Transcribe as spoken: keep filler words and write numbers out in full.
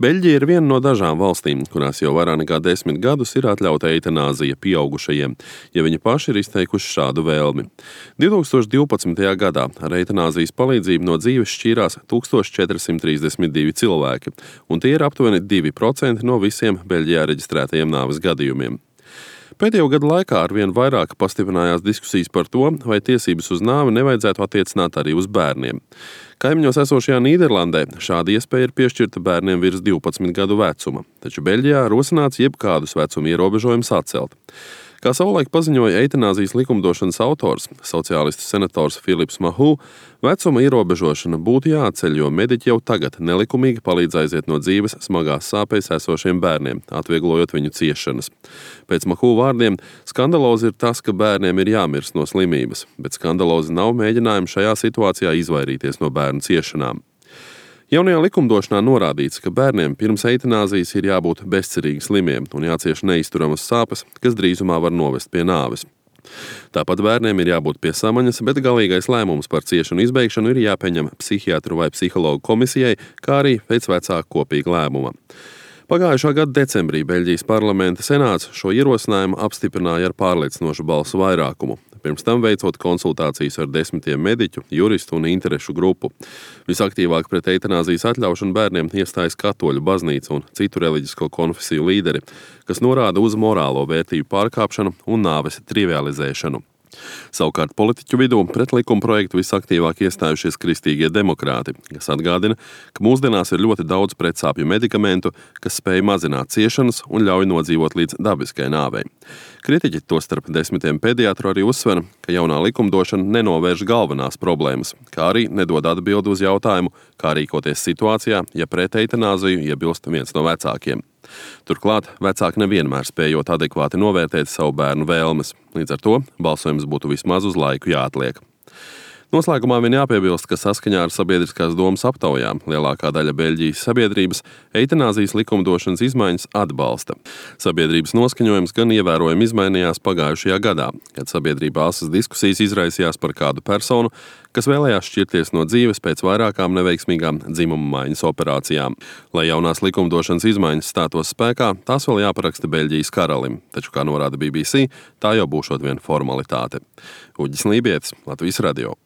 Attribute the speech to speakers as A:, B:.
A: Beļģija ir viena no dažām valstīm, kurās jau vairāk nekā desmit gadus ir atļauta eitanāzija pieaugušajiem, ja viņi paši ir izteikuši šādu vēlmi. divi tūkstoši divpadsmitajā gadā ar eitanāzijas palīdzību no dzīves šķīrās tūkstoš četri simti trīsdesmit divi cilvēki, un tie ir aptuveni divi procenti no visiem Beļģijā reģistrētajiem nāves gadījumiem. Pēdējo gadu laikā arvien vairāk pastiprinājās diskusijas par to, vai tiesības uz nāvi nevajadzētu attiecināt arī uz bērniem. Kaimiņos esošajā Nīderlandē šāda iespēja ir piešķirta bērniem virs divpadsmit gadu vecuma, taču Beļģijā rosināts jebkādus vecuma ierobežojumus atcelt. Kā savulaik paziņoja eitanāzijas likumdošanas autors, sociālistu senators Filips Mahū, vecuma ierobežošana būtu jāatceļ, jo mediķi jau tagad nelikumīgi palīdz aiziet no dzīves smagās sāpēs esošiem bērniem, atvieglojot viņu ciešanas. Pēc Mahū vārdiem, skandalozi ir tas, ka bērniem ir jāmirst no slimības, bet skandalozi nav mēģinājumi šajā situācijā izvairīties no bērnu ciešanām. Jaunajā likumdošanā norādīts, ka bērniem pirms eitanāzijas ir jābūt bezcerīgi slimiem un jācieš neizturamas sāpes, kas drīzumā var novest pie nāves. Tāpat bērniem ir jābūt pie samaņas, bet galīgais lēmums par ciešanu izbeigšanu ir jāpieņem psihiatru vai psihologu komisijai, kā arī pēc vecāku kopīga lēmuma. Pagājušā gada decembrī Beļģijas parlamenta senāts šo ierosinājumu apstiprināja ar pārliecinošu balsu vairākumu, pirms tam veicot konsultācijas ar desmitiem mediķu, juristu un interešu grupu. Visaktīvāk pret eitanāzijas atļaušanu bērniem iestājas katoļu baznīca un citu reliģisko konfesiju līderi, kas norāda uz morālo vērtību pārkāpšanu un nāves trivializēšanu. Savukārt politiķu vidū pret likuma projektu visaktīvāk iestājušies kristīgie demokrāti, kas atgādina, ka mūsdienās ir ļoti daudz pretsāpju medikamentu, kas spēj mazināt ciešanas un ļauj nodzīvot līdz dabiskai nāvei. Kritiķi tostarp desmitiem pediatru arī uzsver, ka jaunā likumdošana nenovērš galvenās problēmas, kā arī nedod atbildi uz jautājumu, kā rīkoties situācijā, ja pret eitanāziju iebilst viens no vecākiem. Turklāt vecāki nevienmēr spējot adekvāti novērtēt savu bērnu vēlmes, līdz ar to balsojums būtu vismaz uz laiku jāatliek. Noslēgumā vien jāpiebilst, ka saskaņā ar sabiedriskās domas aptaujām lielākā daļa Beļģijas sabiedrības eitanāzijas likumdošanas izmaiņas atbalsta. Sabiedrības noskaņojums gan ievērojami izmainījās pagājušajā gadā, kad sabiedrībā asas diskusijas izraisījās par kādu personu, kas vēlējās šķirties no dzīves pēc vairākām neveiksmīgām dzimuma maiņas operācijām. Lai jaunās likumdošanas izmaiņas stātos spēkā, tās vēl jāparaksta Beļģijas karalim, taču, kā norāda B B C, tā jau būšot vien formalitāte. Uģis Lībietis, Latvijas radio.